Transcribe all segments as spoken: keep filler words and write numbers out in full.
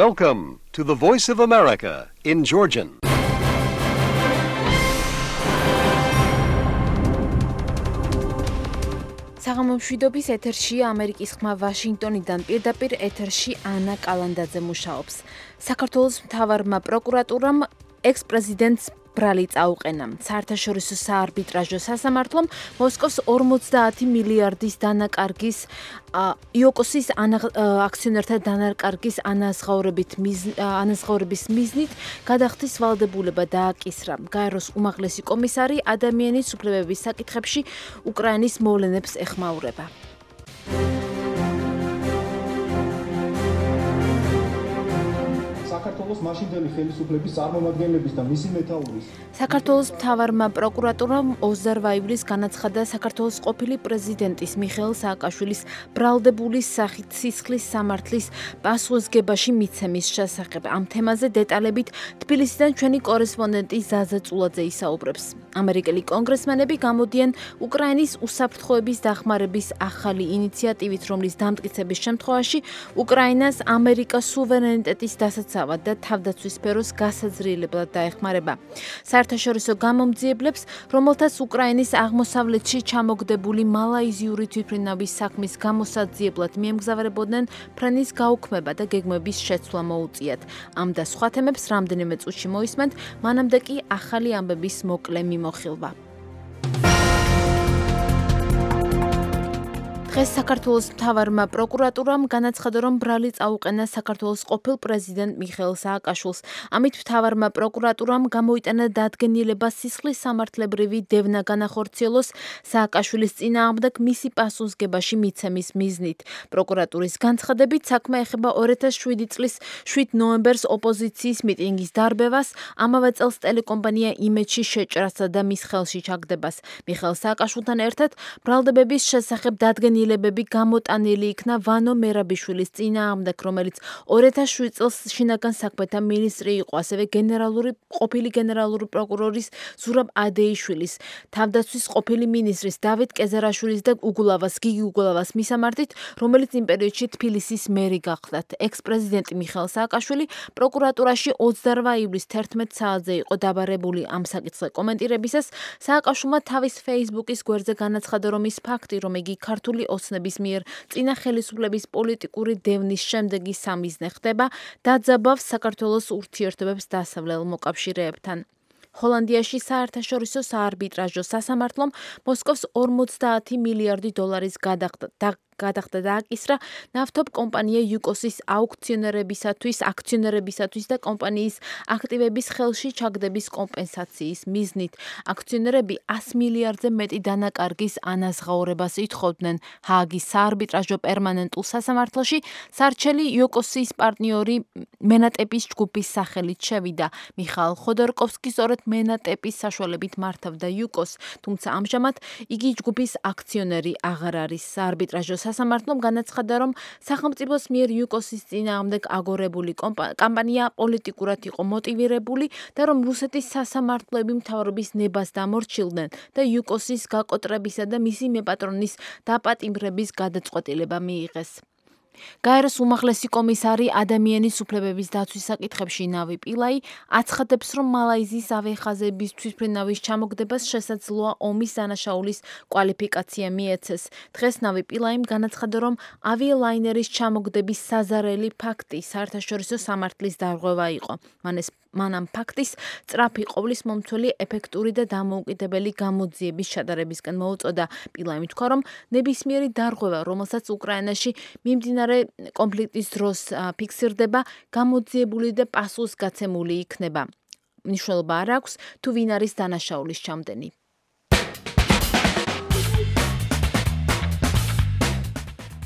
Welcome to the Voice of America in Georgian. საღამომშვიდობის ეთერშია ამერიკის ხმა ვაშინგტონიდან პირდაპირ ეთერში ანა კალანდაძე მუშაობს. საქართველოს მთავარმა პროკურატურამ ექს-პრეზიდენტს ბრალი წაუყენა. საერთაშორისო საარბიტრაჟო სასამართლომ მოსკოვს ორმოცდაათი მილიარდის დანაკარგის იოკოსის აქციონერთა დანაკარგის ანაზღაურების მიზნით გადახდის ვალდებულება დააკისრა. გაეროს უმაღლესი კომისარი ადამიანის უფლებების საკითხებში უკრაინის მოვლენებს ეხმაურება. საქართველოს მაშინდელი ხელისუფლების წარმომადგენლების და მისი მეთაურის საქართველოს მთავარმა პროკურატურამ ოცდაოთხ ივლისს განაცხადა საქართველოს ყოფილი პრეზიდენტის მიხეილ სააკაშვილის ბრალდებული სახით სისხლის სამართლის პასუხისგებაში მიცემის შესახებ. ამ თემაზე დეტალებით თბილისიდან ჩვენი კორესპონდენტი ზაზა წულაძე ისაუბრებს. ამერიკელი კონგრესმენები გამოდიან უკრაინის უსაფრთხოების დახმარების ახალი ინიციატივით, რომლის დამტკიცების შემთხვევაში უკრაინას ამერიკას სუვერენიტეტის დასაცავად და თავდაცვის სფეროს გასაძრიებლად დაეხმარება. საერთაშორისო გამომძიებლებს, რომელთაც უკრაინის აღმოსავლეთში ჩამოგდებული მალაიზიური თვითმფრინავის საქმის გამოსაძიებლად მიემგზავრებოდნენ, ფრენის გაუქმება და გეგმების შეცვლა მოუწიათ. ამ და სხვა თემებს რამდენიმე წუთში მოისმენთ, მანამდე კი ახალი ამბების მოკლე მიმოხილვა. დღეს საქართველოს მთავარმა პროკურატურამ განაცხადა, რომ ბრალი წაუყენა საქართველოს ყოფილ პრეზიდენტ მიხეილ სააკაშვილს. ამით მთავარმა პროკურატურამ გამოიტანა დადგენილება სისხლის სამართლებრივი დევნა განახორციელოს სააკაშვილის წინააღმდეგ მისი პასუხისგებაში მიცემის მიზნით. პროკურატურის განცხადებით, საქმე ეხება ორი ათას შვიდი წლის შვიდ ნოემბერს ოპოზიციის მიტინგის დარბევას, ამავე წელს ტელეკომპანია იმედში შეჭრასა და მის ხელში ჩაგდებას. მიხეილ სააკაშვილთან ერთად ბრალდებების შესახებ დადგენილი ლებები გამოტანილი იქნა ვანო მერაბიშვილის წინააღმდეგ, რომელიც ორი ათას შვიდ წელს შინაგან საქმეთა მინისტრი იყო, ასევე გენერალური ყოფილი გენერალური პროკურორის ზურაბ ადეიშვილის, თავდაცვის ყოფილი მინისტრის დავით კეზერაშვილის და უგულავას გიგი უგულავას მისამართით, რომელიც იმ პერიოდში თბილისის მერი გახლდათ. ექს-პრეზიდენტი მიხეილ სააკაშვილი პროკურატურაში ოცდაოთხ ივლისს თერთმეტ საათზე იყო დაბარებული. ამ საკითხზე კომენტირებისას სააკაშვილმა თავის Facebook-ის გვერდზე განაცხადა, რომ ის ფაქტი, რომ იგი ქართული ოცნების მიერ წინა ხელისუფლების პოლიტიკური დევნის შემდეგი სამიზნე ხდება, დაძაბავს საქართველოს ურთიერთობებს დასავლელ მოკავშირეებთან. ჰოლანდიაში საერთაშორისო საარბიტრაჟო სასამართლომ მოსკოვს ორმოცდაათი მილიარდი დოლარის გადახდა გადახდა დააკისრა ნავთობ კომპანია იუკოსის აუქციონერებისათვის, აქციონერებისათვის და კომპანიის აქტივების ხელში ჩაგდების კომპენსაციის მიზნით. აქციონერები ას მილიარდზე მეტი დანაკარგის ანაზღაურებას ითხოვდნენ. ჰააგის საარბიტრაჟო პერმანენტულ სასამართლოში სარჩელი იუკოსის პარტნიორი მენატეპის ჯგუფის სახელით შევიდა. მიხაილ ხოდორკოვსკი სწორედ მენატეპის საშუალებით მართავდა იუკოს, თუმცა ამჟამად იგი ჯგუფის აქციონერი აღარ არის. საარბიტრაჟო სასამართლომ განაცხადა, რომ სახელმწიფოს მიერ იუკოსის წინააღმდეგ აგორებული კამპანია პოლიტიკურად იყო მოტივირებული და რომ რუსეთის სასამართლოები მთავრობის ნებას დამორჩილდნენ და იუკოსის გაკოტრებისა და მისი მეპატრონის დაპატიმრების გადაწყვეტილება მიიღეს. გაეროს უმაღლესი კომისარი ადამიანის უფლებების დაცვის საკითხებში ნავი პილაი აცხადებს, რომ მალაიზიის ავიახაზების თვითმფრინავის ჩამოგდებას შესაძლოა ომის დანაშაულის კვალიფიკაცია მიეცეს. დღეს ნავი პილაიმ განაცხადა, რომ ავიალაინერის ჩამოგდების საზარელი ფაქტი საერთაშორისო სამართლის დარღვევა იყო. მანეს მან ამ ფაქტის სწრაფი ყოვლის მომცველი ეფექტური და დამოუკიდებელი გამოძიების ჩატარებისკენ მოუწოდა. პილაიმ თქვა, რომ ნებისმიერი დარღვევა, რომელსაც უკრაინაში მიმდინარე კონფლიქტის დროს ფიქსირდება, გამოძიებული და პასუხისგაცემული იქნება. მნიშვნელობა არ აქვს, თუ ვინ არის დანაშაულის ჩამდენი.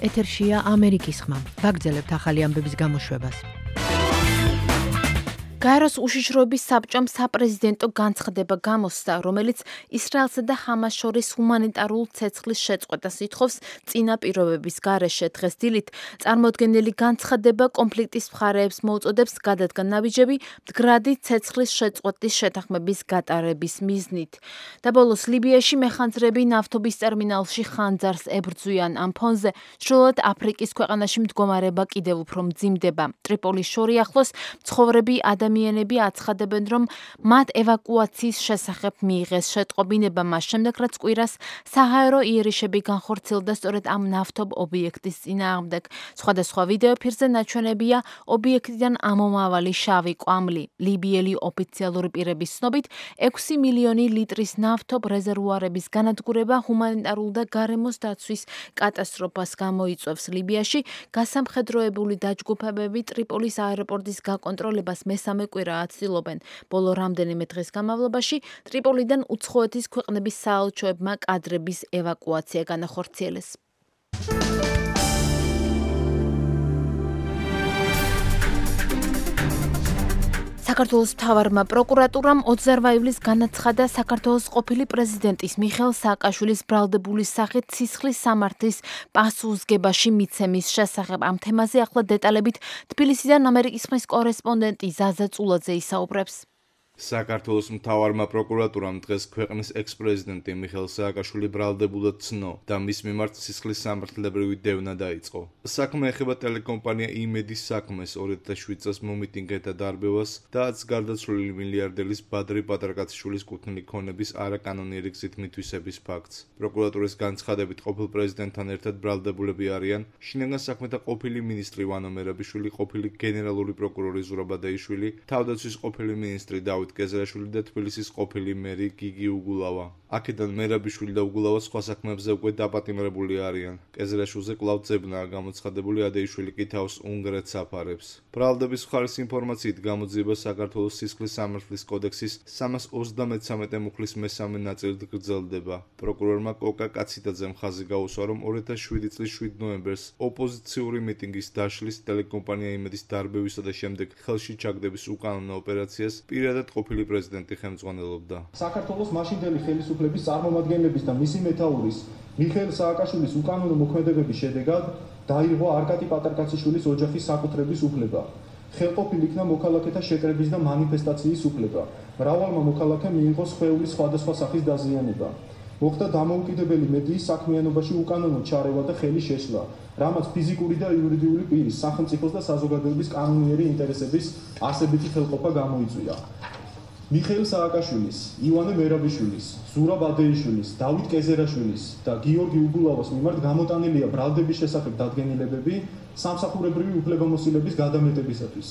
ეთერშია ამერიკის ხმა. ვაგრძელებთ ახალი ამბების გამოშვებას. გაეროს უშიშროების საბჭომ საპრეზიდენტო განცხადება გამოსცა, რომელიც ისრაელსა და ჰამას შორის ჰუმანიტარულ ცეცხლის შეწყვეტას ითხოვს წინა პირობების გარეშე. დღეს დილით წარმოდგენილი განცხადება კონფლიქტის მხარეებს მოუწოდებს გადადგან ნაბიჯები მდგრადი ცეცხლის შეწყვეტის შეთანხმების გატარების მიზნით. და ბოლოს ლიბიაში მეხანძრები ნავთობის ტერმინალში ხანძარს ებრძვიან. ამ ფონზე ჩრდილოეთ აფრიკის ქვეყანაში მდგომარეობა კიდევ უფრო მძიმდება. ტრიპოლის შორი ახლოს მცხოვრები ადამიანები აცხადებენ, რომ მათ ევაკუაციის შესახებ მიიღეს შეტყობინება მას შემდეგ, რაც კვირას საჰაერო იერიშები განხორციელდა სწორედ ამ ნავთობ ობიექტის წინააღმდეგ. სხვადასხვა ვიდეო ფირზე ნაჩვენებია ობიექტიდან ამომავალი შავი კვამლი. ლიბიელი ოფიციალური პირების ცნობით, ექვსი მილიონი ლიტრის ნავთობ რეზერვუარების განადგურება ჰუმანიტარულ და გარემოს დაცვის კატასტროფას გამოიწვევს. ლიბიაში გასამხედროებული დაჯგუფებები ტრიპოლის აეროპორტის გაკონტროლებას მესამე კვირაა ცდილობენ. ბოლო რამდენიმე დღის განმავლობაში ტრიპოლიდან უცხოეთის ქვეყნების საელჩოებმა კადრების ევაკუაცია განახორციელეს. საქართველოს მთავარმა პროკურატურამ ოცდაოთხ ივლისს განაცხადა საქართველოს ყოფილი პრეზიდენტის მიხეილ სააკაშვილის ბრალდებულის სახით სისხლის სამართლის პასუხისგებაში მიცემის შესახებ. ამ თემაზე ახლა დეტალებით თბილისიდან ამერიკის ხმის კორესპონდენტი ზაზა წულაძე ისაუბრებს. საქართველოს მთავარმა პროკურატურამ დღეს ქვეყნის ექს-პრეზიდენტი მიხეილ სააკაშვილი ბრალდებულად ცნო და მის მიმართ სისხლის სამართლებრივი დევნა დაიწყო. საქმე ეხება ტელეკომპანია იმედის საქმეს, ორი ათას შვიდ წელს მომიტინგეთა დარბევას და აც გარდაცვლილი მილიარდერის ბადრი პატარკაციშვილის კუთვნილი ქონების არაკანონიერი გზით მითვისების ფაქტს. პროკურატურის განცხადებით ყოფილ პრეზიდენტთან ერთად ბრალდებულები არიან შინაგან საქმეთა ყოფილი მინისტრი ვანო მერაბიშვილი, ყოფილი გენერალური პროკურორი ზურაბ ბადეიშვილი, თავდაცვის ყოფილი მინისტრი დავით კეზერაშვილი და თბილისის ყოფილი მერი გიგი უგულავა. აქედან მერაბიშვილი და უგულავა სხვა საქმეებზე უკვე დაპატიმრებული არიან. კეზერაშვილზე კვლავ ძებნაა გამოცხადებული, ადეიშვილი კი თავს უნგრეთს აფარებს. ბრალდების მხარის ინფორმაციით გამოძიება საქართველოს სისხლის სამართლის კოდექსის სამას ოცდამეცამეტე მუხლის მესამე ნაწილით გრძელდება. პროკურორმა კოკა კაციდაძემ ხაზი გაუსვა, რომ ორი ათას შვიდი წლის შვიდ ნოემბერს ოპოზიციური მიტინგის დაშლის, ტელეკომპანია იმედის დარბევისა და შემდეგ ხელში ჩაგდების უკანონო ოპერაციას პირადად ყოფილი პრეზიდენტი ხელმძღვანელობდა. საქართველოს მაშინდელი ხელისუფლების წარმომადგენლების და მისი მეთაურის მიხეილ სააკაშვილის უკანონო მოქმედებების შედეგად დაირღვა არკატი პატარკაციშვილის ოჯახის საკუთრების უფლება. ხელყოფილ იქნა მოქალაქეთა შეკრების და მანიფესტაციის უფლება. მრავალმა მოქალაქემ მიიღო სხეულის სხვადასხვა სახის დაზიანება. მოხდა დამოუკიდებელი მედიის საქმიანობაში უკანონო ჩარევა და ხელი შეშლა, რამაც ფიზიკური და იურიდიული პირის, სახელმწიფოს და საზოგადოების კანონიერი ინტერესების არსებითი ხელყოფა გამოიწვია. მიხეილ სააკაშვილის, ივანე მერაბიშვილის, ზურაბ ბადეიშვილის, დავით კეზერაშვილის და გიორგი უგულავას მიმართ გამოტანილია ბრალდების შესახებ დადგენილებები სამსახურებრივი უფლებამოსილების გადამეტებისათვის.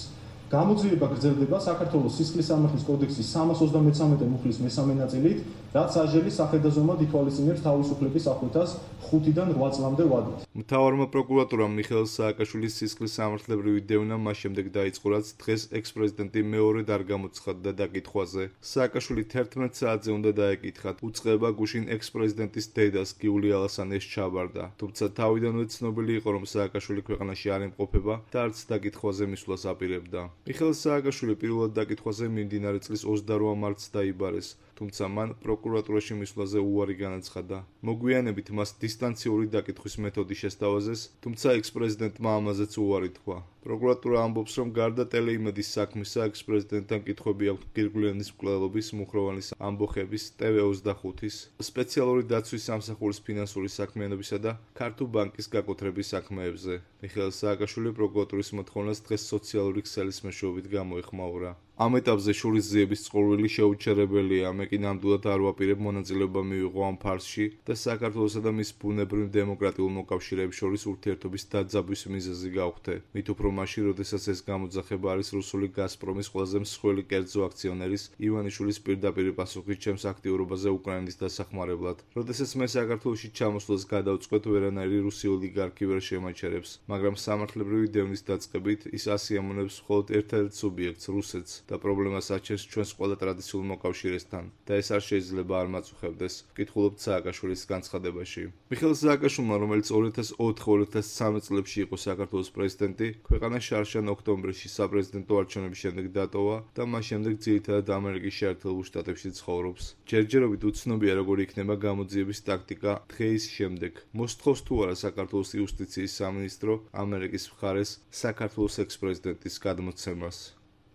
გამოძიება გრძელდება საქართველოს სისხლის სამართლის კოდექსის სამას ოცდამეცამეტე მუხლის მესამე ნაწილით, რაც სასჯელის სახედაზომად ითვალისწინებს თავისუფლების აღკვეთას ხუთიდან რვა წლამდე ვადით. მთავარმა პროკურატურამ მიხეილ სააკაშვილის სისხლის სამართლებრივი დევნა მას შემდეგ დაიწყო, რაც დღეს ექს-პრეზიდენტი მეორედ არ გამოცხადდა დაკითხვაზე. სააკაშვილი თერთმეტ საათზე უნდა დაეკითხათ. უწყება გუშინ ექს-პრეზიდენტის დედას გიული ალასანიას ჩაბარდა. თუმცა თავიდანვე ცნობილი იყო, რომ სააკაშვილი ქვეყანაში არ იმყოფება და არც დაკითხვაზე მისვლას აპირებდა. მიხეილ სააკაშვილი პირველად დაკითხვაზე მიმდინარე წლის ოცდარვა მარტს დაიბარეს, თუმცა მან პროკურატურაში მისვლაზე უარი განაცხადა. მოგვიანებით მას დისტანციური დაკითხვის მეთოდი შესთავაზეს, თუმცა ექს-პრეზიდენტმა ამაზეც უარი თქვა. პროკურატურა ამბობს, რომ გარდა ტელეიმედის საქმისა, ექს-პრეზიდენტთან კითხვები აქვს გირგვლიანის მკვლელობის, მუხროვანის ამბოხების, ტე ვე ოცდახუთის, სპეციალური დაცვის სამსახურის ფინანსური საქმიანობისა და ქართულ ბანკის გაკუთრების საქმეებზე. მიხეილ სააკაშვილი პროკურატურის მოთხოვნას დღეს სოციალური ქსელის მეშვეობით გამოეხმაურა. ამ ეტაპზე შურისძიების წყურვილი შეუჩერებელია, მე კი ნამდვილად არ ვაპირებ მონაწილეობა მივიღო ამ ფარსში და საქართველოსა და მის ბუნებრივ დემოკრატიულ მოკავშირეებს შორის ურთიერთობის დაძაბვის მიზეზი გავხდე. მით უფრო მაშინ, როდესაც ეს გამოძახება არის რუსული გაზპრომის ყველაზე მსხვილი კერძო აქციონერის ივანიშვილის პირდაპირ პასუხი ჩემს აქტიურობაზე უკრაინის დასახმარებლად. როდესაც მე საქართველოში ჩამოსვლას გადავწყვეტ, ვერანაირი რუსი ოლიგარქი ვერ შემაჩერებს, მაგრამ სამართლებრივი დევნის დაწყებით ის ასიამონებს მხოლოდ ერთადერთ სუბიექტს, რუსეთს. და პრობლემას აჩენს ჩვენს ყველა ტრადიციულ მოკავშირესთან და ეს არ შეიძლება არ მაწუხებდეს, ვკითხულობთ სააკაშვილის განცხადებაში. მიხეილ სააკაშვილმა, რომელიც ორი ათას ოთხ ორი ათას სამი წლებში იყო საქართველოს პრეზიდენტი, ქვეყანა შარშან ოქტომბერში საპრეზიდენტო არჩევნების შემდეგ დატოვა და მას შემდეგ ძირითადად ამერიკის შეერთებულ შტატებში ცხოვრობს. ჯერჯერობით უცნობია, როგორი იქნება გამოძიების ტაქტიკა დღეის შემდეგ. მოსთხოვს თუ არა საქართველოს იუსტიციის სამინისტრო ამერიკის მხარეს საქართველოს ექს-პრეზიდენტის გადმოცემას.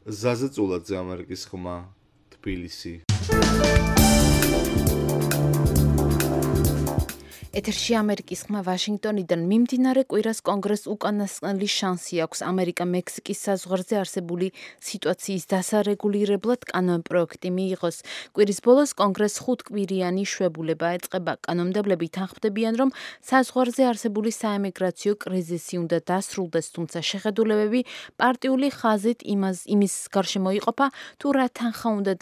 ზაზე წულაძე, ამერიკის ხმა, თბილისი. ეთერში ამერიკის ხმა ვაშინგტონიდან მიმდინარე კვირას კონგრესს უკანასკნელი შანსი აქვს ამერიკა-მექსიკის საზღვარზე არსებული სიტუაციის დასარეგულირებლად კანონპროექტი მიიღოს. კვირის ბოლოს კონგრესს ხუთკვირიანი შვებულება ეწყება. კანონმდებლები თანხმდებიან, რომ საზღვარზე არსებული საემიგრაციო კრიზისი უნდა დასრულდეს, თუმცა შეხედულებები პარტიული ხაზით იმას იმის გარშემო იყოფა, თუ რა თანხა უნდა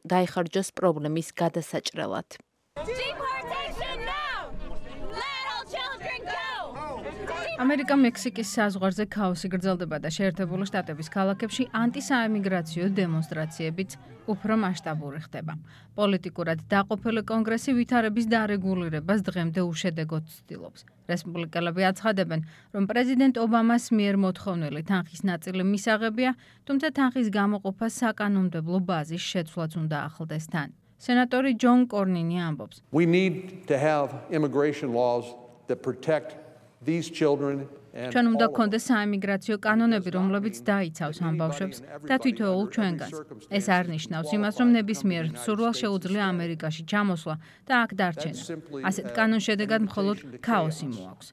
დაიხარჯოს პრობლემის გადასაჭრელად. ამერიკა-მექსიკის საზღვარზე ქაოსი გრძელდება და შეერთებული შტატების ქალაქებში ანტისაემიგრაციო დემონსტრაციებიც უფრო მასშტაბური ხდება. პოლიტიკურად დაყოფილი კონგრესი ვითარების დარეგულირებას დღემდე უშედეგოდ ცდილობს. რესპუბლიკელები აცხადებენ, რომ პრეზიდენტ ობამას მიერ მოთხოვნილი თანხის ნაწილი მისაღებია, თუმცა თანხის გამოყოფა საკანონმდებლო ბაზის შეცვლაც უნდა ახლდეს თან. სენატორი ჯონ კორნინი ამბობს. We need to have immigration laws that protect these children and ჩვენ უნდა გქონდეს საემიგრაციო კანონები, რომლებიც დაიცავს ამ ბავშვებს და თითოეულ ჩვენგანს. ეს არ ნიშნავს იმას, რომ ნებისმიერ მსურვალს შეუძლია ამერიკაში ჩამოსვლა და აქ დარჩენა. ასეთ კანონს შედეგად მხოლოდ ქაოსი მოაქვს.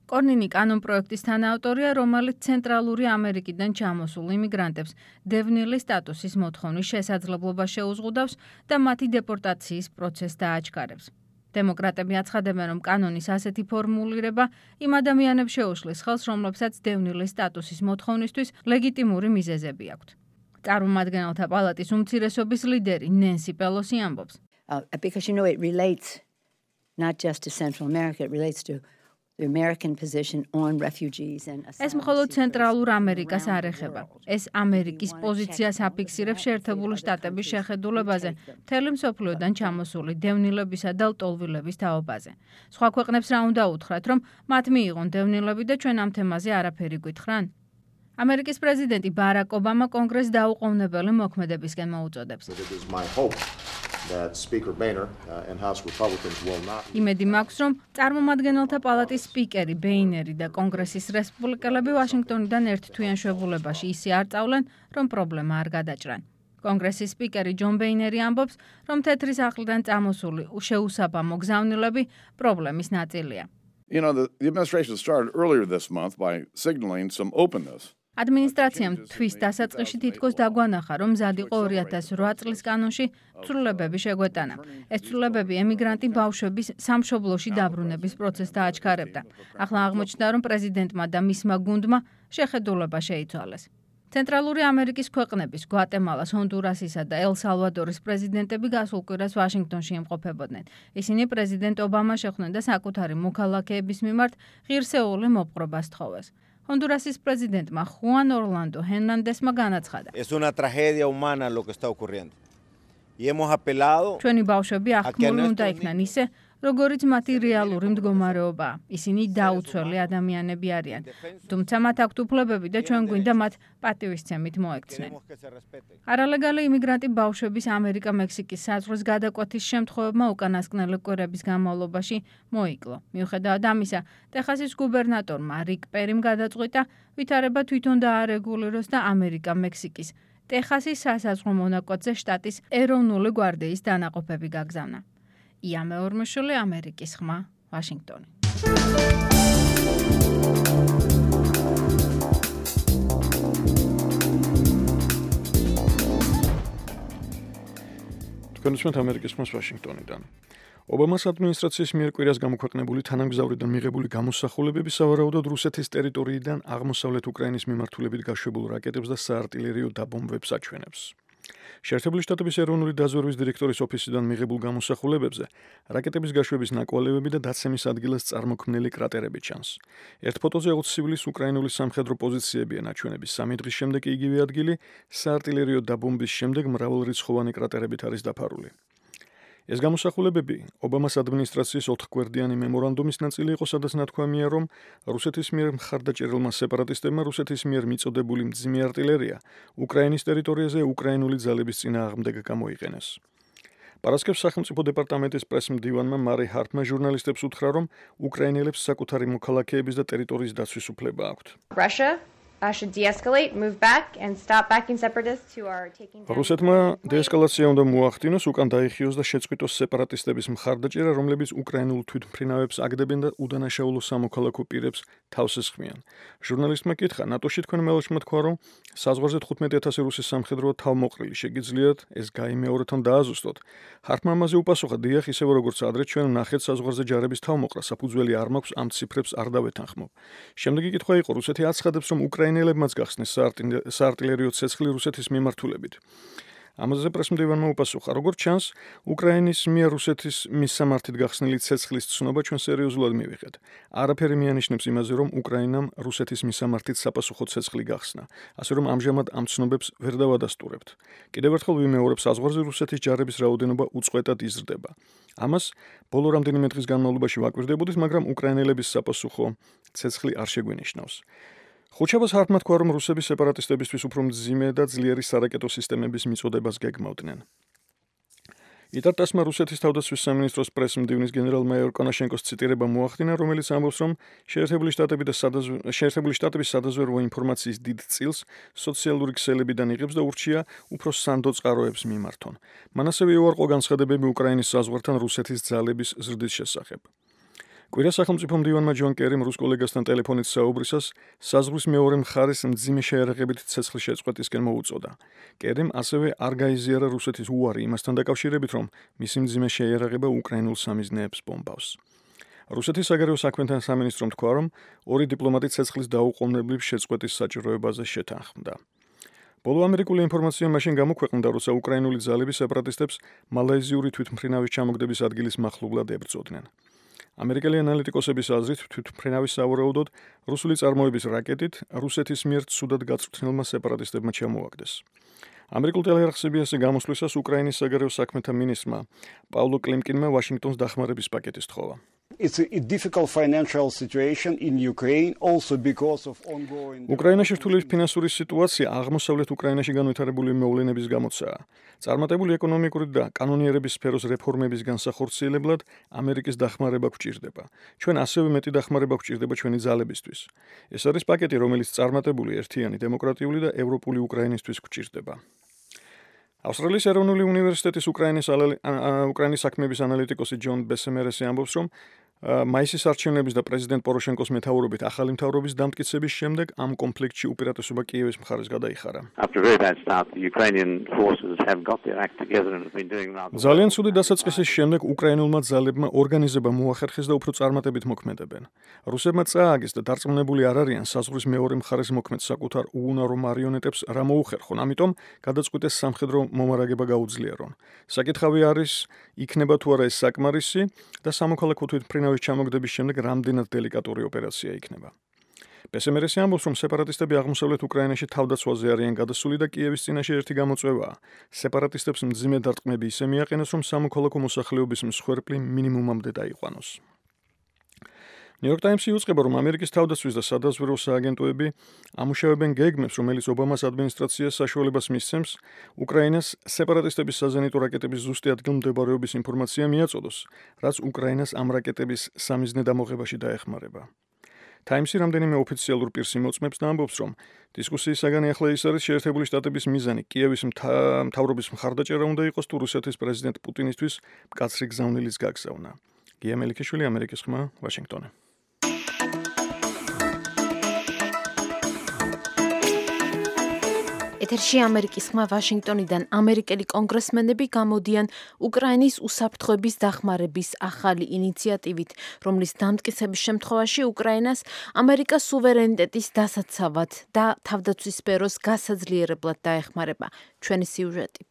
კორნინი კანონპროექტის თანაავტორია, რომელიც ცენტრალური ამერიკიდან ჩამოსულ იმიგრანტებს დევნილი სტატუსის მოთხოვნის შესაძლებლობა შეუზღუდავს და მათი დეპორტაციის პროცესს დააჩქარებს. დემოკრატები აცხადებენ, რომ კანონის ასეთი ფორმულირება იმ ადამიანებს შეუშლის ხელს, რომლებსაც დევნილი სტატუსის მოთხოვნისთვის ლეგიტიმური მიზეზები აქვთ. წარმომადგენელთა პალატის უმცირესობის ლიდერი ნენსი პელოსი ამბობს. Uh, because you know it relates not just to Central America, it relates to the American position on refugees and asylum. ეს მხოლოდ ცენტრალურ ამერიკას არ ეხება. ეს ამერიკის პოზიციას აფიქსირებს შეერთებული შტატების შეხედულებაზე, მთელი მსოფლიოდან ჩამოსული დევნილებისა და ლტოლვილების თაობაზე. სხვა ქვეყნებს რა უნდა უთხრათ, რომ მათ მიიღონ დევნილები და ჩვენ ამ თემაზე არაფერი გვითხრან? ამერიკის პრეზიდენტი ბარაკ ობამა კონგრესს დაუყოვნებელი მოქმედებისკენ მოუწოდებს. that Speaker Boehner uh, and House Republicans will not. იმედი მაქვს, რომ წარმომადგენელთა პალატის სპიკერი ბეინერი და კონგრესის რესპუბლიკელები ვაშინგტონიდან ერთ თვიან შვებულებაში ისე არ წავლენ, რომ პრობლემა არ გადაჭრან. კონგრესის სპიკერი ჯონ ბეინერი ამბობს, რომ თეთრი სახლიდან წამოსული შეუსაბამო გზავნილები პრობლემის ნაწილია. You know, the, the administration started earlier this month by signaling some openness. ადმინისტრაციამ თვის დასაწყისში თითქოს დაგვანახა, რომ მზად იყო ორი ათას ოთხ წლის კანონში ცვლილებები შეგვეტანა. ეს ცვლილებები ემიგრანტი ბავშვების სამშობლოში დაბრუნების პროცესს დააჩქარებდა. ახლა აღმოჩნდა, რომ პრეზიდენტმა და მისმა გუნდმა შეხედულება შეიცვალეს. ცენტრალური ამერიკის ქვეყნების გვატემალას, ჰონდურასისა და ელ-სალვადორის პრეზიდენტები გასულ კვირას ვაშინგტონში იმყოფებოდნენ. ისინი პრეზიდენტ ობამას შეხვდნენ და საკუთარი მოქალაქეების მიმართ ღირსეული მოპყრობას თხოვეს. ჰონდურასის პრეზიდენტმა ხუან ორლანდო ჰერნანდესმა განაცხადა. Es una tragedia humana lo que está ocurriendo. Y hemos apelado ჩვენი ბავშვები აღქმული უნდა იქნან ისე, როგორიც მათი რეალური მდგომარეობაა. ისინი დაუცველი ადამიანები არიან. თუმცა მათ აქვთ უფლებები და ჩვენ გვინდა მათ პატივისცემით მოექცნენ. არალეგალი იმიგრანტი ბავშვების ამერიკა-მექსიკის საზღვრის გადაკვეთის შემთხვევებმა უკანასკნელი კვირების განმავლობაში მოიკლო. მიუხედავად ამისა, ტეხასის გუბერნატორმა რიკ პერიმ გადაწყვიტა ვითარება თვითონ დაარეგულიროს და ამერიკა-მექსიკის ტეხასის სასაზღვრო მონაკვეთზე შტატის ეროვნული გვარდიის დანაყოფები გაგზავნა. ია მეორმოშული, ამერიკის ხმა, ვაშინგტონი. თქვენ უსმენთ ამერიკის ხმას ვაშინგტონიდან. ობამას ადმინისტრაციის მიერ კვირას გამოქვეყნებული თანამგზავრიდან მიღებული გამოსახულებები სავარაუდოდ რუსეთის ტერიტორიიდან აღმოსავლეთ უკრაინის მიმართულებით გაშვებულ რაკეტებს და საარტილერიო დაბომბვებს აჩვენებს. შეერთებული შტატების ეროვნული დაზვერვის დირექტორის ოფისიდან მიღებულ გამოსახულებებზე რაკეტების გაშვების ნაკვალევები და დაცემის ადგილას წარმოქმნილი კრატერები ჩანს. ერთ ფოტოზე ოცი სივილის უკრაინული სამხედრო პოზიციებია ნაჩვენები, სამი დღის შემდეგ იგივე ადგილი საარტილერიო დაბომბვის შემდეგ მრავალრიცხოვანი კრატერებით არის დაფარული. ეს გამოსახულებები ობამას ადმინისტრაციის ოთხგვერდიანი მემორანდუმის ნაწილი იყო, სადაც ნათქვამია, რომ რუსეთის მიერ მხარდაჭერილმა სეპარატისტებმა რუსეთის მიერ მიწოდებული მძიმე არტილერია უკრაინის ტერიტორიაზე უკრაინული ძალების წინააღმდეგ გამოიყენეს. პარასკევს სახელმწიფო დეპარტამენტის პრესმდივანმა მარი ჰარტმა ჟურნალისტებს უთხრა, რომ უკრაინელებს საკუთარი მოქალაქეების და ტერიტორიის დაცვის უფლება აქვთ. Russia Uh, should de-escalate, move back, and stop backing separatists who are taking down... რუსეთმა დეესკალაცია უნდა მოახდინოს, უკან დაიხიოს და შეწყვიტოს სეპარატისტების მხარდაჭერა, რომლებიც უკრაინულ თვითმფრინავებს აგდებენ და უდანაშაულო სამოქალაქო პირებს თავს ესხმიან. ჟურნალისტმა კითხა, ნატოში თქვენ მელოშმა თქვა, რომ საზღვარზე თხუთმეტი ათასი რუსის სამხედროა თავმოყრილი, შეგიძლიათ ეს გაიმეორებთან დააზუსტოთ. ჰარტმა ამაზე უპასუხა, დიახ, ისევე როგორც ადრე ჩვენ ვნახეთ საზღვარზე ჯარების თავმოყრა, საფუძველი არ მაქვს ამ ციფრებს არ დავეთანხმობ. შემდეგი კითხვა იყო, რუსეთი აცხადებს, რომ უკრაინელებმაც გახსნეს საარტილერიო ცეცხლი რუსეთის მიმართულებით. ამაზე პრესმდივანმა უპასუხა, როგორც ჩანს, უკრაინის მიერ რუსეთის მისამართით გახსნილი ცეცხლის ცნობა ჩვენ სერიოზულად მივიღეთ. არაფერი მიანიშნებს იმაზე, რომ უკრაინამ რუსეთის მისამართით საპასუხო ცეცხლი გახსნა, ასე რომ ამჟამად ამ ცნობებს ვერ დავადასტურებთ. კიდევ ერთხელ ვიმეორებ, საზღვარზე რუსეთის ჯარების რაოდენობა უწყვეტად იზრდება. ამას ბოლო რამდენიმე დღის განმავლობაში ვაკვირდებოდით, მაგრამ უკრაინელების საპასუხო ცეცხლი არ შეგვენიშნავს. ხუთშაბათს ჰარტმა თქვა, რომ რუსები სეპარატისტებისთვის უფრო მძიმე და ძლიერი სარაკეტო სისტემების მიწოდებას გეგმავდნენ. იტარტასმა რუსეთის თავდაცვის სამინისტროს პრესმდივნის გენერალ-მაიორ კონაშენკოს ციტირება მოახდინა, რომელიც ამბობს, რომ შეერთებული შტატები და შეერთებული შტატების სადაზვერვო ინფორმაციის დიდ წილს სოციალური ქსელებიდან იღებს და ურჩია უფრო სანდო წყაროებს მიმართონ. მან ასევე უარყო განცხადებები უკრაინის საზღვართან რუსეთის ძალების ზრდის შესახებ. კვირა სახელმწიფო მდივანმა ჯონ კერიმ რუს კოლეგასთან ტელეფონით საუბრისას საზღვრის მეორე მხარეს მძიმე შეერაღებით ცეცხლის შეწყვეტისკენ მოუწოდა. კერიმ ასევე არ გაიზიარა რუსეთის უარი იმასთან დაკავშირებით, რომ მისი მძიმე შეერაღება უკრაინულ სამიზნეებს ბომბავს. რუსეთის საგარეო საქმეთა სამინისტრომ თქვა, რომ ორი დიპლომატი ცეცხლის დაუყოვნებლივ შეწყვეტის საჭიროებაზე შეთანხმდა. ბოლო ამერიკული ინფორმაცია მაშინ გამოქვეყნდა, როცა უკრაინული ძალები სეპარატისტებს მალაიზიური თვითმფრინავის ჩამოგდების ადგილის მახლობლად ებრძოდნენ. ამერიკელი ანალიტიკოსების აზრით, თვითმფრინავის სავარაუდოდ რუსული წარმოების რაკეტით რუსეთის მიერ ცუდად გაწვრთნილმა სეპარატისტებმა ჩამოაგდეს. ამერიკულ ტელეარხს C B S-ზე გამოსვლისას უკრაინის საგარეო საქმეთა მინისტრმა პავლო კლიმკინმა ვაშინგტონს დახმარების პაკეტი სთხოვა. It's a difficult financial situation in Ukraine also because of ongoing უკრაინაში რთული ფინანსური სიტუაცია აღმოსავლეთ უკრაინაში განვითარებული მოვლენების გამოცაა. წარმატებული ეკონომიკური და კანონიერების სფეროს რეფორმების განსახორციელებლად ამერიკის დახმარება გვჭირდება. ჩვენ ასევე მეტი დახმარება გვჭირდება ჩვენი ძალებისთვის. ეს არის პაკეტი, რომელიც წარმატებული, ერთიანი, დემოკრატიული და ევროპული უკრაინისთვის გვჭირდება. ავსტრალიის ეროვნული უნივერსიტეტის უკრაინის უკრაინის საქმეების ანალიტიკოსი ჯონ ბესემერესი ამბობს, რომ მაისის არჩევნების და პრეზიდენტ პოროშენკოს მეთაურობით ახალი მთავრობის დამტკიცების შემდეგ ამ კონფლიქტში უპირატესობა კიევის მხარეს გადაიხარა. ძალიან ცუდი დასაწყისის შემდეგ უკრაინულმა ძალებმა ორგანიზება მოახერხეს და უფრო წარმატებით მოქმედებენ. რუსებმა წააგეს და დარწმუნებული არ არიან საზღვრის მეორე მხარეს მოქმედ საკუთარ უუნარო მარიონეტებს რა მოუხერხონ, ამიტომ გადაწყვიტეს სამხედრო მომარაგება გაუძლიერონ. საკითხავი არის, იქნება თუ არა ეს საკმარისი და სამოქალაქო თვითმფრინავის ჩამოგდების შემდეგ რამდენად დელიკატური ოპერაცია იქნება. ბესემერესი ამბობს, რომ სეპარატისტები აღმოსავლეთ უკრაინაში თავდაცვაზე არიან გადასული და კიევის წინაშე ერთი გამოწვევაა. სეპარატისტებს მძიმე დარტყმები ისე მიაყენოს, რომ სამოქალაქო მოსახლეობის მსხვერპლი მინიმუმამდე დაიყვანოს. ნიუ-იორკ ტაიმსი უწყება, რომ ამერიკის თავდაცვის და სადაზვერვო სააგენტოები ამუშავებენ გეგმებს, რომელიც ობამას ადმინისტრაციას საშუალებას მისცემს უკრაინას სეპარატისტების საზენიტო რაკეტების ზუსტი ადგილმდებარეობის ინფორმაცია მიაწოდოს, რაც უკრაინას ამ რაკეტების სამიზნე დამოღებაში დაეხმარება. ტაიმსი რამდენიმე ოფიციალურ პირს იმოწმებს და ამბობს, რომ დისკუსიის საგანი ახლა ის არის, შეერთებული შტატების მიზანი კიევის მთავრობის მხარდაჭერა უნდა იყოს თუ რუსეთის პრეზიდენტ პუტინისთვის მკაცრი გზავნილის გაგზავნა. გია მელიქიშვილი, ამერიკის ხმა, ვაშინგტონი. ეთერში ამერიკის ხმა ვაშინგტონიდან ამერიკელი კონგრესმენები გამოდიან უკრაინის უსაფრთხოების დახმარების ახალი ინიციატივით, რომლის დამტკიცების შემთხვევაში უკრაინას ამერიკას სუვერენიტეტის დასაცავად და თავდაცვის სფეროს გასაძლიერებლად დაეხმარება. ჩვენი სიუჟეტი.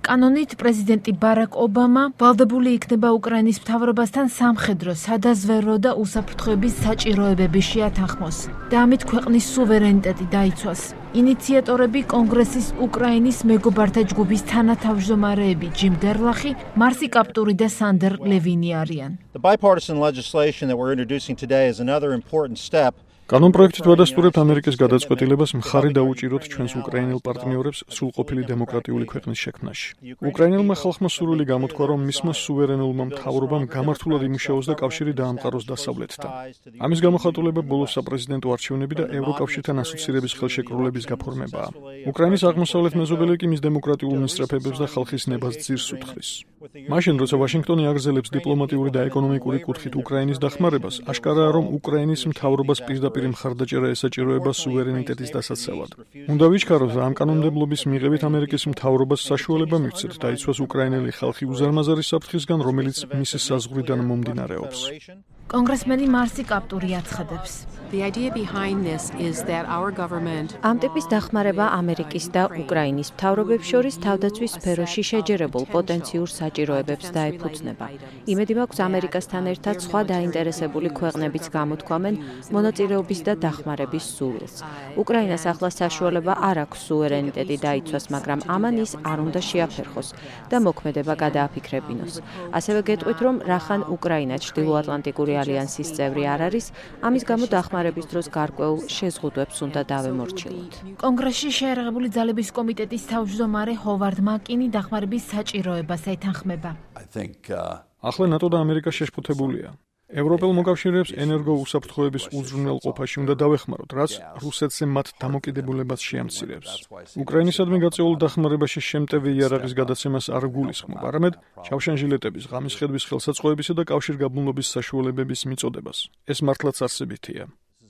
კანონით პრეზიდენტი ბარაკ ობამა ვალდებული იქნება უკრაინის მთავრობასთან სამხედრო, სადაზვერვო და უსაფრთხოების საჭიროებების შეათანხმოს და ამით ქვეყნის სუვერენიტეტი დაიცვას. ინიციატორები კონგრესის უკრაინის მეგობართა ჯგუფის თანათავმჯდომარეები ჯიმ გერლახი, მარსი კაპტური და სანდერ ლევინი არიან. The bipartisan legislation that we're introducing today is another important step. კანონპროექტით ვადასტურებთ ამერიკის გადაწყვეტილებას მხარი დაუჭიროთ ჩვენს უკრაინელ პარტნიორებს სრულყოფილი დემოკრატიული ქვეყნის შექმნაში. უკრაინელმა ხალხმა სურვილი გამოთქვა, რომ მისმა სუვერენულმა მთავრობამ გამართულად იმუშაოს და კავშირი დაამყაროს დასავლეთთან. ამის გამოხატულება ბოლო საპრეზიდენტო არჩევნები და ევროკავშირთან ასოცირების ხელშეკრულების გაფორმებაა. უკრაინის აღმოსავლეთ მეზობელი კი მის დემოკრატიულ მისწრაფებებს და ხალხის ნებას ძირს უთხრის. მაშინ, როცა ვაშინგტონი აგრძელებს დიპლომატიური და ეკონომიკური კუთხით უკრაინის დახმარებას, აშკარაა, რომ უკრაინის მთავრობას პირდაპირ მხარდაჭერა ესაჭიროება სუვერენიტეტის დასაცავად. უნდა ვიჩქაროთ, რომ ამ კანონმდებლობის მიღებით ამერიკის მთავრობას საშუალება მივცეთ დაიცვას უკრაინელი ხალხი უზარმაზარი საფრთხისგან, რომელიც მისი საზღვრიდან მომდინარეობს. კონგრესმენი მარსი კაპტური აცხადებს. ამ ტიპის დახმარება ამერიკის და უკრაინის მთავრობებს შორის თავდაცვის სფეროში შეჯერებულ პოტენციურ საჭიროებებს დაეფუძნება. იმედი მაქვს, ამერიკასთან ერთად სხვა დაინტერესებული ქვეყნებიც გამოთქვამენ მონაწილეობის და დახმარების სურვილს. უკრაინას ახლა საშუალება არ აქვს სუვერენიტეტი დაიცვას, მაგრამ ამან ის არ უნდა შეაფერხოს და მოქმედება გადააფიქრებინოს. ასევე გეტყვით, რომ რახან უკრაინა ჩრდილოატლანტიკური ალიანსის წევრი არ არის, ამის გამო დახმარების დროს გარკვეულ შეზღუდვებს უნდა დავემორჩილოთ. კონგრესში შეიარაღებული ძალების კომიტეტის თავმჯდომარე ჰოვარდ მაკინი დახმარების საჭიროებას ეთანხმება. ახლა ნატო და ამერიკა შეშფოთებულია. ევროპელ მოკავშირეებს ენერგო უსაფრთხოების უზრუნველყოფაში უნდა დავეხმაროთ, რაც რუსეთზე მათ დამოკიდებულებას შეამცირებს. უკრაინისადმი გაწეული დახმარებაში შემტევი იარაღის გადაცემას არ გულისხმობ, არამედ ჩავშანჟილეტების, ღამის ხედვის ხელსაწყოებისა და კავშირგაბმულობის საშუალებების მიწოდებას. ეს მართლაც არსებითია.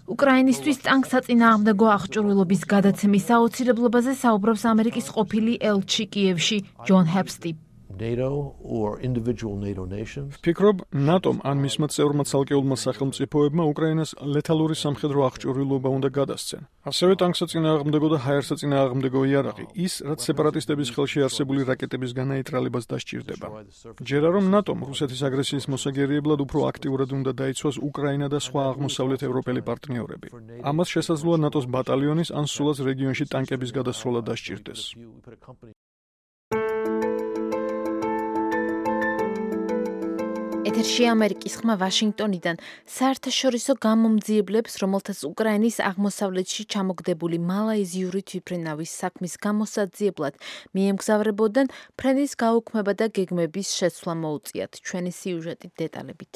უკრაინისთვის ტანკსაწინააღმდეგო აღჭურვილობის გადაცემის აუცილებლობაზე საუბრობს ამერიკის ყოფილი ელჩი კიევში ჯონ ჰეპსტი. ვფიქრობ, ნატომ ან მისმა წევრმა ცალკეულმა სახელმწიფოებმა უკრაინას ლეთალური სამხედრო აღჭურვილობა უნდა გადასცენ. ასევე ტანკსაწინააღმდეგო და ჰაერსაწინააღმდეგო იარაღი, ის, რაც სეპარატისტების ხელში არსებული რაკეტების განაიტრალებას დასჭირდება. ჯერა რომ ნატომ რუსეთის აგრესიის მოსაგერიებლად უფრო აქტიურად უნდა დაიცვას უკრაინა და სხვა აღმოსავლეთ ევროპელი პარტნიორები. ამას შესაძლოა ნატოს ბატალიონის ან სულაც რეგიონში ტანკების გადასროლა დასჭირდეს. ეთერში ამერიკის ხმა ვაშინგტონიდან საერთაშორისო გამომძიებლებს, რომელთაც უკრაინის აღმოსავლეთში ჩამოგდებული მალაიზიური თვითმფრინავის საქმის გამოსაძიებლად მიემგზავრებოდნენ, ფრენის გაუქმება და გეგმების შეცვლა მოუწიათ. ჩვენი სიუჟეტი დეტალებით.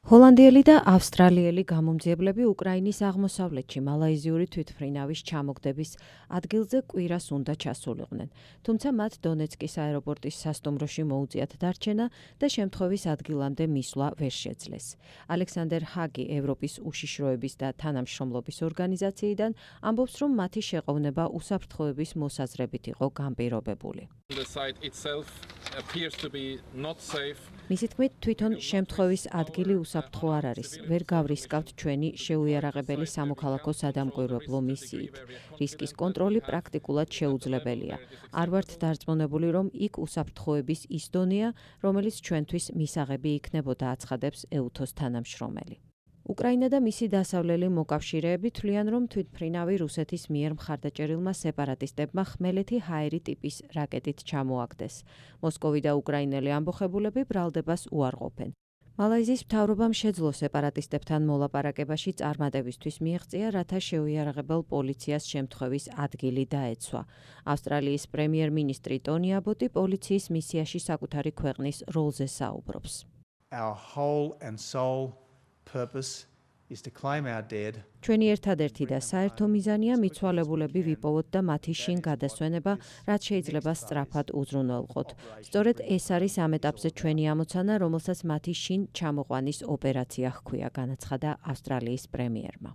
ჰოლანდიელი და ავსტრალიელი გამომძიებლები უკრაინის აღმოსავლეთში მალაიზიური თვითმფრინავის ჩამოგდების ადგილზე კვირას უნდა ჩასულიყვნენ, თუმცა მათ დონეცკის აეროპორტის სასტუმროში მოუწიათ დარჩენა და შემთხვევის ადგილამდე მისვლა ვერ შეძლეს. ალექსანდერ ჰაგი ევროპის უშიშროების და თანამშრომლობის ორგანიზაციიდან ამბობს, რომ მათი შეყოვნება უსაფრთხოების მოსაზრებით იყო განპირობებული. მისი თქმით, თვითონ შემთხვევის ადგილი უსაფრთხო არ არის. ვერ გავრისკავთ ჩვენი შეუიარაღებელი სამოქალაქო სადამკვირვებლო მისიით. რისკის კონტროლი პრაქტიკულად შეუძლებელია. არ ვართ დარწმუნებული, რომ იქ უსაფრთხოების ის დონეა, რომელიც ჩვენთვის მისაღები იქნებოდა, აცხადებს ეუთოს თანამშრომელი. უკრაინა და მისი დასავლელი მოკავშირეები თვლიან, რომ თვითმფრინავი რუსეთის მიერ მხარდაჭერილმა სეპარატისტებმა ხმელეთი ჰაერი ტიპის რაკეტით ჩამოაგდეს. მოსკოვი და უკრაინელი ამბოხებულები ბრალდებას უარყოფენ. მალაიზიის მთავრობამ შეძლო სეპარატისტებთან მოლაპარაკებაში წარმატებისთვის მიაღწია, რათა შეუიარაღებელ პოლიციას შემთხვევის ადგილი დაეცვა. ავსტრალიის პრემიერ-მინისტრი ტონი აბოტი პოლიციის მისიაში საკუთარი ქვეყნის როლზე საუბრობს. Our whole and sole purpose is to claim our dead. ჩვენი ერთადერთი და საერთო მიზანია მიცვალებულები ვიპოვოთ და მათი შინ გადასვენება, რაც შეიძლება სწრაფად უზრუნველყოთ. სწორედ ეს არის ამ ეტაპზე ჩვენი ამოცანა, რომელსაც მათი შინ ჩამოყვანის ოპერაცია ჰქვია, განაცხადა ავსტრალიის პრემიერმა.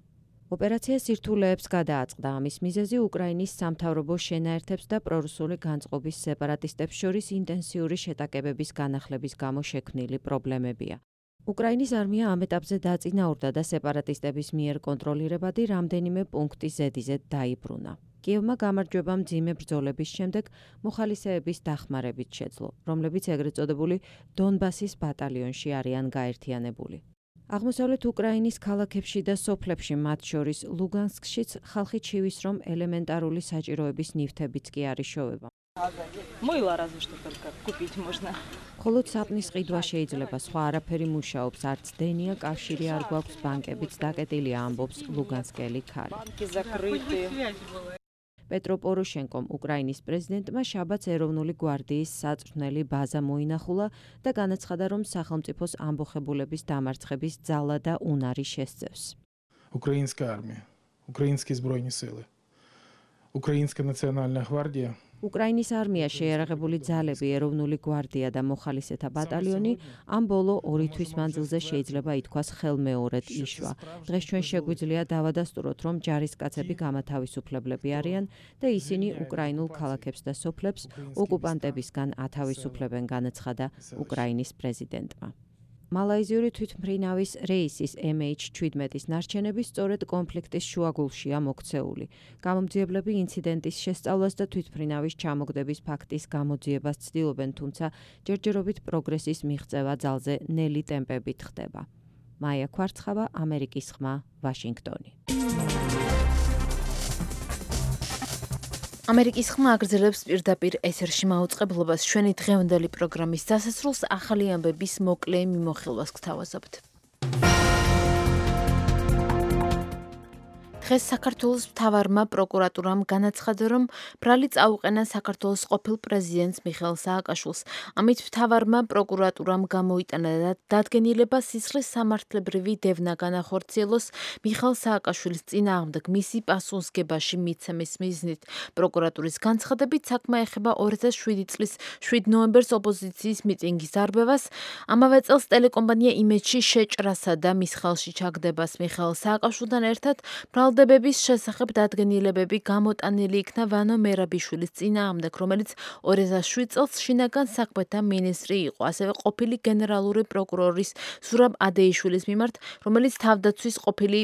ოპერაცია სირთულეებს გადააწყდა. ამის მიზეზი უკრაინის სამთავრობო შენაერთებს და პრორუსული განწყობის სეპარატისტებს შორის ინტენსიური შეტაკებების განახლების გამო შექმნილი პრობლემებია. უკრაინის არმია ამ ეტაპზე დაწინაურდა და სეპარატისტების მიერ კონტროლირებადი რამდენიმე პუნქტი ზედიზედ დაიბრუნა. კიევმა გამარჯვება მძიმე ბრძოლების შემდეგ მოხალისეების დახმარებით შეძლო, რომლებიც ეგრეთ წოდებული დონბასის ბატალიონში არიან გაერთიანებული. აღმოსავლეთ უკრაინის ქალაქებში და სოფლებში, მათ შორის ლუგანსკშიც ხალხი ჩივის, რომ ელემენტარული საჭიროების ნივთებიც კი არ იშოვება. მხოლოდ საპნის ყიდვა შეიძლება, სხვა არაფერი მუშაობს, არც დენია, კავშირი არ გვაქვს, ბანკებიც დაკეტილია, ამბობს ლუგანსკელი ქალი. პეტრო პოროშენკომ, უკრაინის პრეზიდენტმა შაბათს ეროვნული გვარდიის საწვრთნელი ბაზა მოინახულა და განაცხადა, რომ სახელმწიფოს ამბოხებულების დამარცხების ძალა და უნარი შესწევს. Украинская армия, украинские збройные силы, Украинская национальная гвардия უკრაინის არმია, შეიარაღებული ძალები, ეროვნული გვარდია და მოხალისეთა ბატალიონი ამ ბოლო ორი თვის მანძილზე შეიძლება ითქვას ხელმეორედ იშვა. დღეს ჩვენ შეგვიძლია დავადასტუროთ, რომ ჯარისკაცები გამათავისუფლებლები არიან და ისინი უკრაინულ ქალაქებს და სოფლებს ოკუპანტებისგან ათავისუფლებენ, განაცხადა უკრაინის პრეზიდენტმა. მალაიზიური თვითმფრინავის რეისის M H seventeen-ის ნარჩენები სწორედ კონფლიქტის შუაგულშია მოქცეული. გამომძიებლები ინციდენტის შესწავლას და თვითმფრინავის ჩამოგდების ფაქტის გამოძიებას ცდილობენ, თუმცა ჯერჯერობით პროგრესის მიღწევა ძალზე ნელი ტემპებით ხდება. მაია ქვარცხავა, ამერიკის ხმა, ვაშინგტონი. ამერიკის ხმა აგრძელებს პირდაპირ ეთერში მაუწყებლობას. ჩვენი დღევანდელი პროგრამის დასასრულს ახალი ამბების მოკლე მიმოხილვას გთავაზობთ. დღეს საქართველოს მთავარმა პროკურატურამ განაცხადა, რომ ბრალი წაუყენა საქართველოს ყოფილ პრეზიდენტს მიხეილ სააკაშვილს. ამით მთავარმა პროკურატურამ გამოიტანა და დადგენილება სისხლის სამართლებრივი დევნა განახორციელოს მიხეილ სააკაშვილის წინააღმდეგ მისი პასუხისგებაში მიცემის მიზნით. პროკურატურის განცხადებით საქმე ეხება ორი ათას შვიდი წლის შვიდ ნოემბერს ოპოზიციის მიტინგის დარბევას, ამავე წელს ტელეკომპანია იმედში შეჭრასა და მის ხელში ჩაგდებას მიხეილ სააკაშვილთან ერთად ბრალდებების შესახებ დადგენილებები გამოტანილი იქნა ვანო მერაბიშვილის წინააღმდეგ, რომელიც ორი ათას შვიდ წელს შინაგან საქმეთა მინისტრი იყო, ასევე ყოფილი გენერალური პროკურორის ზურაბ ადეიშვილის მიმართ, რომელიც თავდაცვის ყოფილი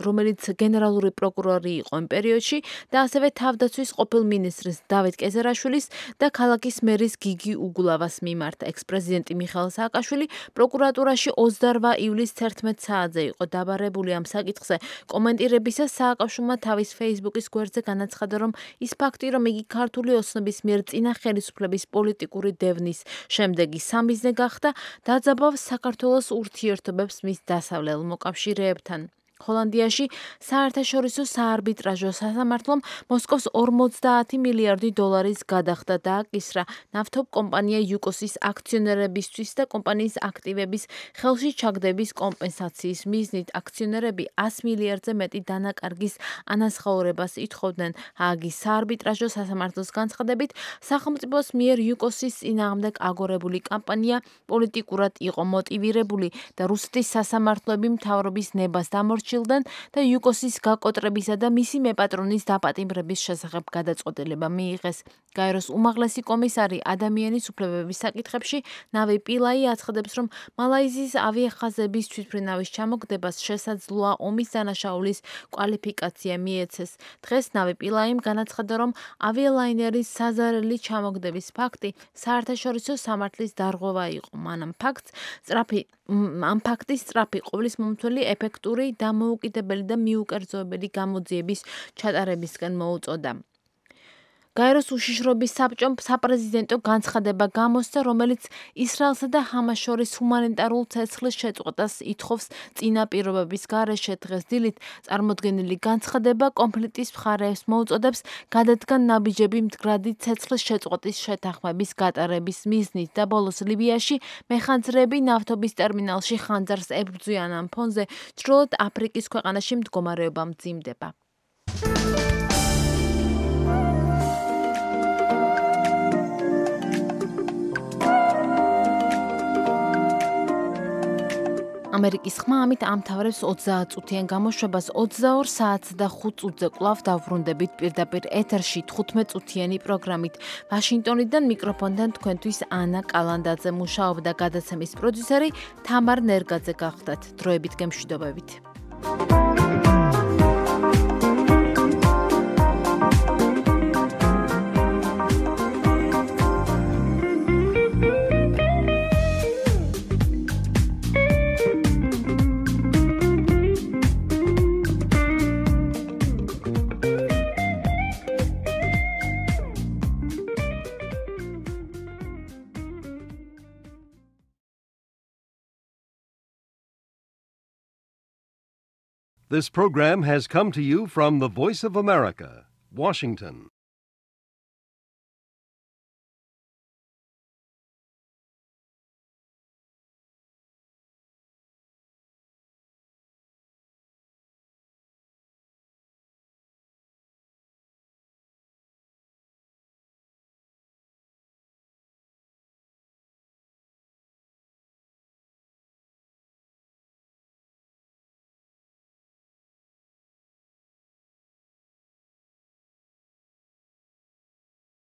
რომელიც გენერალური პროკურორი იყო იმ პერიოდში და ასევე თავდაცვის ყოფილ მინისტრის დავით კეზერაშვილის და ქალაქის მერის გიგი უგულავას მიმართ. ექს-პრეზიდენტი მიხეილ სააკაშვილი პროკურატურაში ოცდაორმა ივლისს თერთმეტ საათზე იყო დაბარებული. ამ საკითხზე კომენტირებისას სააკაშვილმა თავის Facebook-ის გვერდზე განაცხადა, რომ ის ფაქტი, რომ იგი ქართული ოცნების მიერ წინა ხელისუფლების პოლიტიკური დევნის შემდეგი სამიზნე გახდა, დაძაბავს საქართველოს ურთიერთობებს მის დასავლელ მოკავშირეებთან. ჰოლანდიაში საერთაშორისო საარბიტრაჟო სასამართლომ მოსკოვს ორმოცდაათი მილიარდი დოლარის გადახდა დააკისრა ნავთობ კომპანია იუკოსის აქციონერებისთვის და კომპანიის აქტივების ხელში ჩაგდების კომპენსაციის მიზნით. აქციონერები ას მილიარდზე მეტი დანაკარგის ანაზღაურებას ითხოვდნენ. ჰააგის საარბიტრაჟო სასამართლოს განცხადებით, სახელმწიფოს მიერ იუკოსის წინააღმდეგ აგორებული კამპანია პოლიტიკურად იყო მოტივირებული და რუსეთის სასამართლოები მთავრობის ნებას დამორჩილდნენ და იუკოსის გაკოტრებისა და მისი მეპატრონის დაპატიმრების შესახებ გადაწყვეტილება მიიღეს. გაეროს უმაღლესი კომისარი ადამიანის უფლებების საკითხებში ნავი პილაი აცხადებს, რომ მალაიზიის ავიახაზების თვითმფრინავის ჩამოგდებას შესაძლოა ომის დანაშაულის კვალიფიკაცია მიეცეს. დღეს ნავი პილაიმ განაცხადა, რომ ავიალაინერის საზარელი ჩამოგდების ფაქტი საერთაშორისო სამართლის დარღვევა იყო. მან ამ ფაქტს სწრაფი ამ ფაქტის სწრაფი ყოვლის მომთველი ეფექტური დამოუკიდებელი და მიუკერძოებელი გამოძიების ჩატარებისკენ მოუწოდა. გაეროს უშიშროების საბჭომ საპრეზიდენტო განცხადება გამოსცა, რომელიც ისრაელსა და ჰამას შორის ჰუმანიტარულ ცეცხლის შეწყვეტას ითხოვს წინა პირობების გარეშე. დღეს დილით წარმოდგენილი განცხადება კონფლიქტის მხარეებს მოუწოდებს გადადგან ნაბიჯები მდგრადი ცეცხლის შეწყვეტის შეთანხმების გატარების მიზნით და ბოლოს ლიბიაში მეხანძრეები ნავთობის ტერმინალში ხანძარს ებრძვიან. ამ ფონზე ჩრდილოეთ აფრიკის ქვეყანაში მდგომარეობა მძიმდება. ამერიკის ხმა ამით ამთავრებს ოცდაათ წუთიან გამოშვებას ოცდაორ საათს და ხუთ წუთზე კვლავ დავბრუნდებით პირდაპირ ეთერში თხუთმეტ წუთიანი პროგრამით. ვაშინგტონიდან მიკროფონთან თქვენთვის ანა კალანდაძე მუშაობდა, გადაცემის პროდიუსერი თამარ ნერგაძე გახდათ. დროებით გემშვიდობებით. This program has come to you from the Voice of America, Washington.